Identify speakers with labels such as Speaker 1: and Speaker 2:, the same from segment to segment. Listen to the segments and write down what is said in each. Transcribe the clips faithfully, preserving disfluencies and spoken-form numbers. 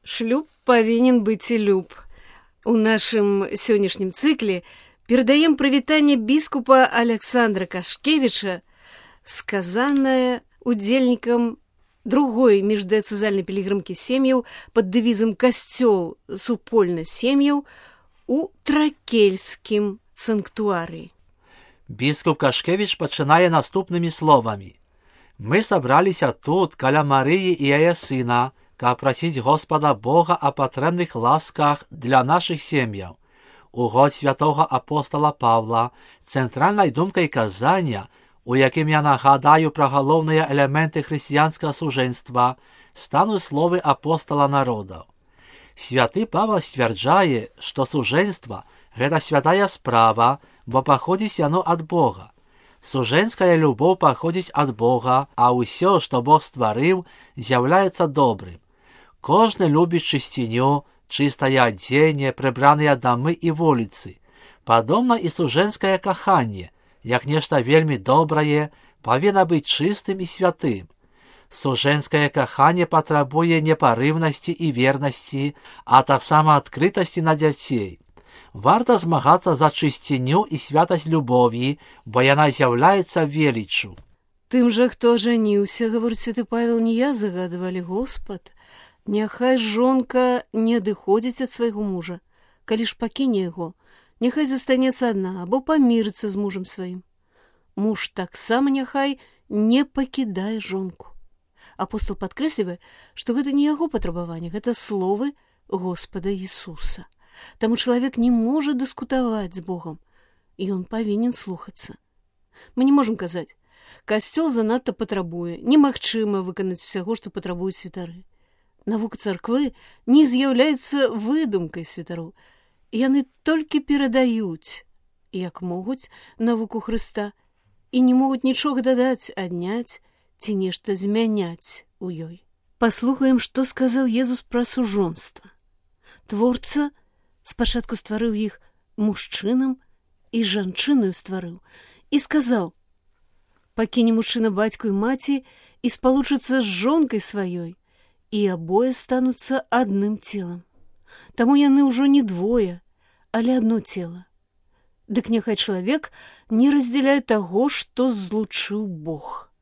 Speaker 1: Шлюб павінен быць і люб. У нашым сённяшнім цыкле перадаем прывітанне біскупа Александра Кашкевіча, сказанае удзельнікам другой міждыяцэзальнай пілігрымкі сем'яў пад дэвізам «Касцёл супольна сем'яў» у Тракельскім санктуарыі.
Speaker 2: Біскуп Кашкевіч пачынае наступнымі словамі. Мы сабраліся тут, каля Марыі і яе сына, каб прасіць Господа Бога о патрэбных ласках для нашых сем'яў. У год святого апостола Павла цэнтральнай думкай казання, у якім я нагадаю пра галоўныя элементы хрысціянскага сужэнства, стануць словы апостола народаў. Святы Павел сцвярджае, што сужэнства – гэта святая справа, бо паходзіць яно ад Бога. Сужэнская любоў паходзіць ад Бога, а ўсё, што Бог стварыў, з'яўляецца добрым. Кожны любіць чысціню, чыстае адзенне, прыбраныя дамы і вуліцы. Падобна і сужэнскае каханне, як нешта вельмі добрае, павінна быць чыстым і святым. Сужэнскае каханне патрабуе непарыўнасці і вернасці, а таксама адкрытасці на дзяцей. Варта змагацца за чысціню і святасць любові, бо яна з'яўляецца веліччу.
Speaker 1: Тым жа, хто ажаніўся, гаворыць святы Павел, не я загадвалі, Господ. Няхай жонка не адыходзіць ад свайго мужа. Калі ж пакіне яго, няхай застанецца адна або памірыцца з мужам сваім. Муж таксама няхай не пакідае жонку. Апостол падкрэслівае, што гэта не яго патрабаванне, гэта словы Господа Ісуса. Таму чалавек не можа дыскутаваць з Богам, і ён павінен слухацца. Мы не можам казаць, касцёл занадта патрабуе, немагчыма выканаць усяго, што патрабуюць святары. Навука царквы не з'яўляецца выдумкай святароў. Яны толькі перадаюць, як могуць, навуку Хрыста і не могуць нічога дадаць, адняць ці нешта змяняць у ёй. Паслухаем, што сказаў Езус пра сужонства. Творца спачатку стварыў іх мужчынам і жанчынаю стварыў і сказаў: «Пакіне мужчына бацьку і маці і спалучыцца з жонкай сваёй, і абое стануцца адным целам. Таму яны ўжо не двое, але адно цела. Дык няхай чалавек не раздзяляе таго, што злучыў Бог».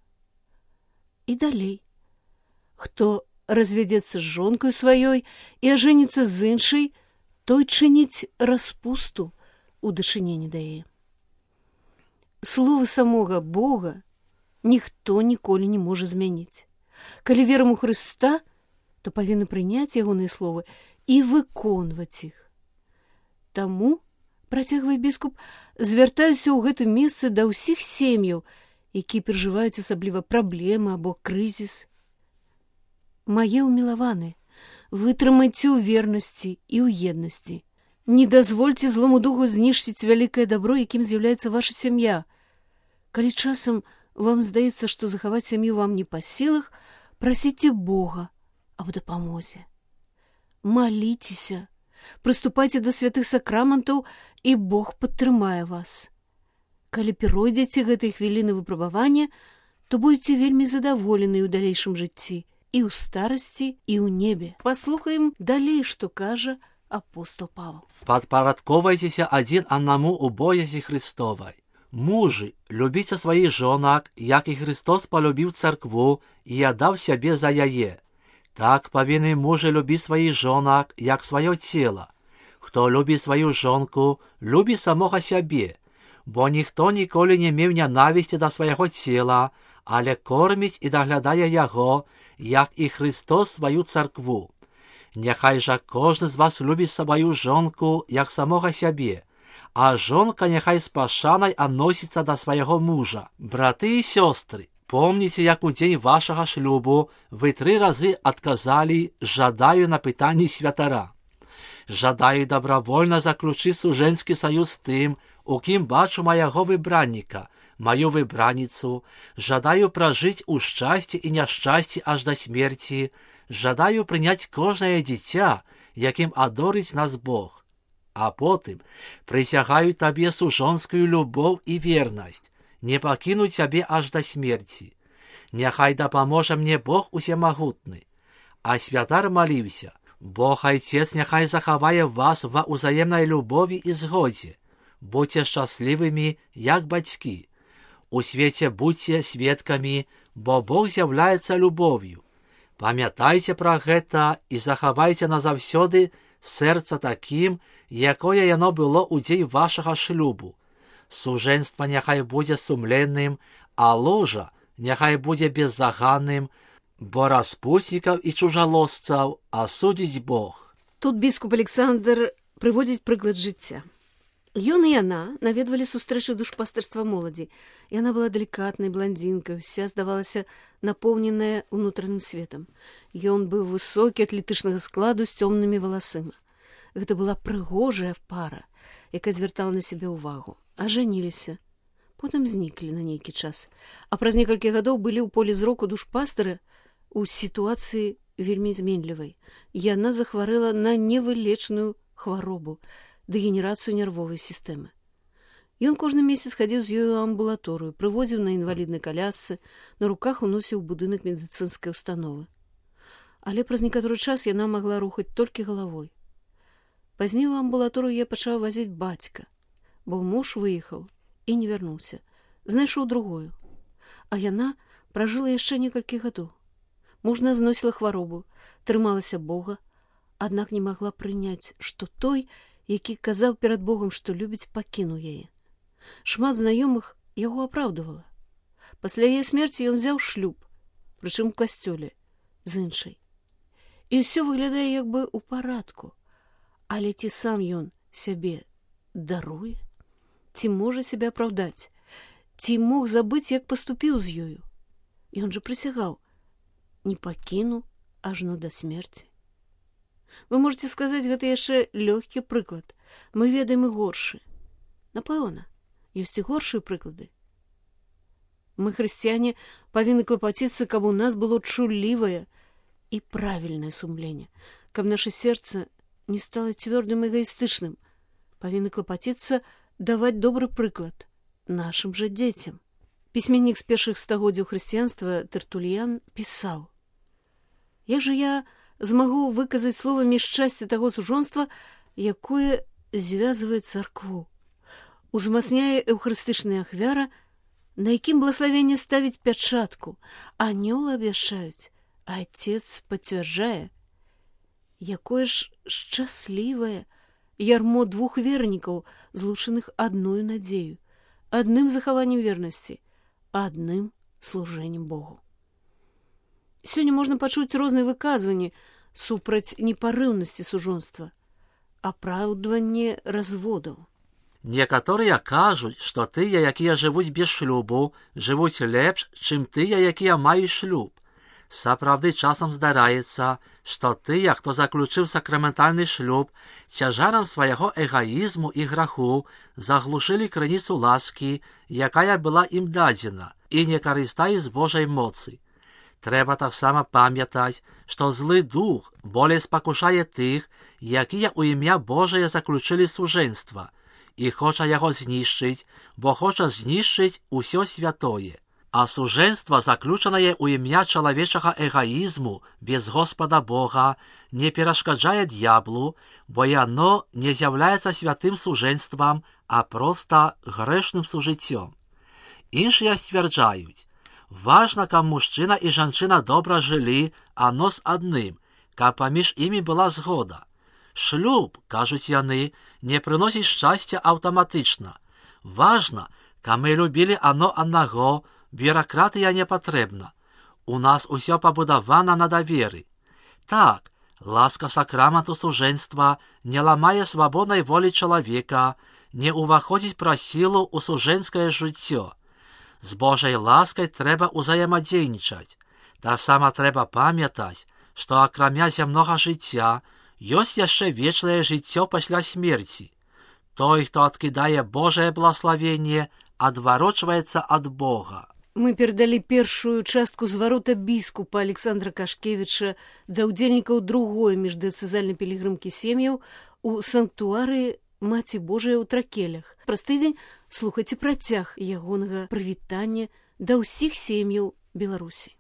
Speaker 1: І далей. Хто развядзецца з жонкаю сваёй і ажэніцца з іншай, той чыніць распусту у дачыненні да яе. Словы самога Бога ніхто ніколі не можа змяніць. Калі верым у Хрыста, то павінны прыняць ягоныя словы і выконваць іх. Таму, працягвае біскуп, звяртаюся ў гэтым месцы да ўсіх сем'яў, якія перажываюць асабліва праблемы або крызіс. Мае ўмілаваныя, вытрымайце ў вернасці і ў еднасці. Не дазвольце злому духу знішчыць вялікае дабро, якім з'яўляецца ваша сям'я. Калі часам вам здаецца, што захаваць сям'ю вам не па сілах, прасіце Бога аб дапамозе. Маліцеся, прыступайце да святых сакраментаў, і Бог падтрымае вас. Калі перойдзеце гэтай хвіліны выпрабавання, то будзеце вельмі задаволены ў далейшым жыцці, і ў старасці, і ў небе. Паслухаем далей, што кажа апостол Павел.
Speaker 2: Падпарадковайцеся адзін аднаму ў боязі Христовай. Мужы, любіце сваіх жонак, як і Христос палюбіў царкву і аддаў сябе за яе. Так павінны мужы любіць сваіх жонак, як сваё цела. Хто любіць сваю жонку, любіць самога сябе, бо ніхто ніколі не меў нянавісці да свайго цела, але корміць і даглядае яго, як і Христос сваю царкву. Няхай жа кожны з вас любіць сваю жонку, як самога сябе, а жонка няхай з пашанай адносіцца да свайго мужа. Браты і сёстры, помніце, як у дзень вашага шлюбу вы тры разы адказалі «жадаю» на пытанні святара. Жадаю добровольна заключыць сужэнскі саюз з тым, у кім бачу майго выбранніка, маю выбраніцу, жадаю пражыць у шчасці і няшчасці аж да смерці, жадаю прыняць кожнае дзіця, якім адорыць нас Бог. А потым прысягаю табе сужонскую любоў і вернасць, не пакіну цябе аж да смерці. Няхай дапаможа мне Бог усемагутны. А святар маліўся: Бог Отец няхай захавае вас ва ўзаемнай любові і згодзе. Будьце шчаслівымі, як бацькі. У свеце будьце сведкамі, бо Бог з'яўляецца любов'ю. Памятайце пра гэта і захавайце назаўсёды сэрца такім, якое яно было ў дзень вашага шлюбу. Сужэнства няхай будзе сумленным, а ложа няхай будзе беззаганным, бо распуснікаў і чужалосцаў асудзіць Бог.
Speaker 1: Тут біскуп Александр прыводзіць прыклад жыцця. Ён і яна наведвалі сустрэчы душпастырства моладзі. Яна была далікатнай бландзінкай, уся здавалася напоўненая ўнутраным светам. Ён быў высокі, атлетычнага складу з цёмнымі валасыма. Гэта была прыгожая пара, якая звяртала на сябе ўвагу. Ажаніліся. Потым зніклі на нейкі час. А праз некалькі гадоў былі ў полі зроку душпастыра у сітуацыі вельмі зменлівай. Яна захварэла на невылечную хваробу, дэгенерацыю нервовай сістэмы. Ён кожны месяц хадзіў з ёй у амбулаторыю, прывозіў на інваліднай калясцы, на руках уносіў у будынак медыцынскай установы. Але праз некаторы час яна магла рухаць толькі галавой. Пазней у амбулаторыю я пачаў вазіць бацька, бо муж выехаў і не вярнуўся, знайшоў другую. А яна пражыла яшчэ некалькі гадоў. Мужна зносіла хваробу, трымалася Бога, аднак не магла прыняць, што той, які казаў перад Богом, што любіць, пакінуў яе. Шмат знаёмых яго апраўдывала. Пасля яе смерці ён взяў шлюб, прычым у касцёле, з іншай. І ўсё выглядае як бы ў парадку. Але ці сам ён сябе даруе? Ці можа сябе апраўдаць? Ці мог забыць, як паступіў з ёю? Ён жа прысягаў: не пакіну ажно да смерці. Вы можете сказаць, гэта яшчэ лёгкі прыклад. Мы ведаем і горшы. Напэўна, ёсць і горшыя прыклады. Мы, хрысціяне, павінны клапаціцца, каб у нас было чуллівае і правільнае сумленне, каб наша сэрца не стала цвёрдым эгоістычным. Павінны клапаціцца даваць добры прыклад нашым жа дзецям. Пісьменнік з першых стагоддзяў хрысціянства Тертульян пісаў: як жа я змагу выказаць словамі шчасце таго сужонства, якое звязвае царкву, узмацняе эўхарыстычная ахвяра, на якім блаславенне ставіць пячатку, анёлы абвяшчаюць, а Отец пацвярджае. Якое ж шчаслівае ярмо двух вернікаў, злучаных адною надзею, адным захаваннем вернасці, адным служэннем Богу. Сёння можна пачуць розныя выказванні супраць непарыўнасці сужонства, апраўдванне разводаў.
Speaker 2: Некаторыя кажуць, што тыя, якія жывуць без шлюбу, жывуць лепш, чым тыя, якія маюць шлюб. Сапраўды часам здараецца, што тыя, хто заключыў сакраментальны шлюб, цяжарам свайго эгаізму і граху заглушылі крыніцу ласкі, якая была ім дадзена, і не карыстаюць з Божай моцы. Трэба таксама памятаць, што злы дух болей спакушае тых, якія ў імя Божае заключылі сужэнства, і хоча яго знішчыць, бо хоча знішчыць усё святое. А сужэнства, заключанае ў імя чалавечага эгаізму без Господа Бога, не перашкаджае д'яблу, бо яно не з'яўляецца святым сужэнствам, а проста грэшным сужыццём. Іншыя сцвярджаюць: важна, каб мужчына і жанчына добра жылі адно з адным, каб паміж імі была згода. Шлюб, кажуць яны, не прыносіць шчасця аўтаматычна. Важна, каб мы любілі адно аднаго, бюракратыя не патрэбна. У нас усё пабудавана на даверы. Так, ласка сакраменту сужэнства не ламае свабоднай волі чалавека, не ўваходзіць праз сілу ў сужэнскае жыццё. З Божай ласкай трэба ўзаемадзейнічаць. Таксама трэба памятаць, што акрамя зямнога жыцця ёсць яшчэ вечнае жыццё пасля смерці. Той, хто адкідае Божае благаславенне, адварочваецца ад Бога.
Speaker 1: Мы перадалі першую частку зварота біскупа Александра Кашкевіча да ўдзельнікаў другой міждыяцэзальнай пілігрымкі сем'яў у санктуарыі Маці Божая ў Тракелях. Праз тыдзень слухайце працяг ягонага прывітання да ўсіх сем'яў Беларусі.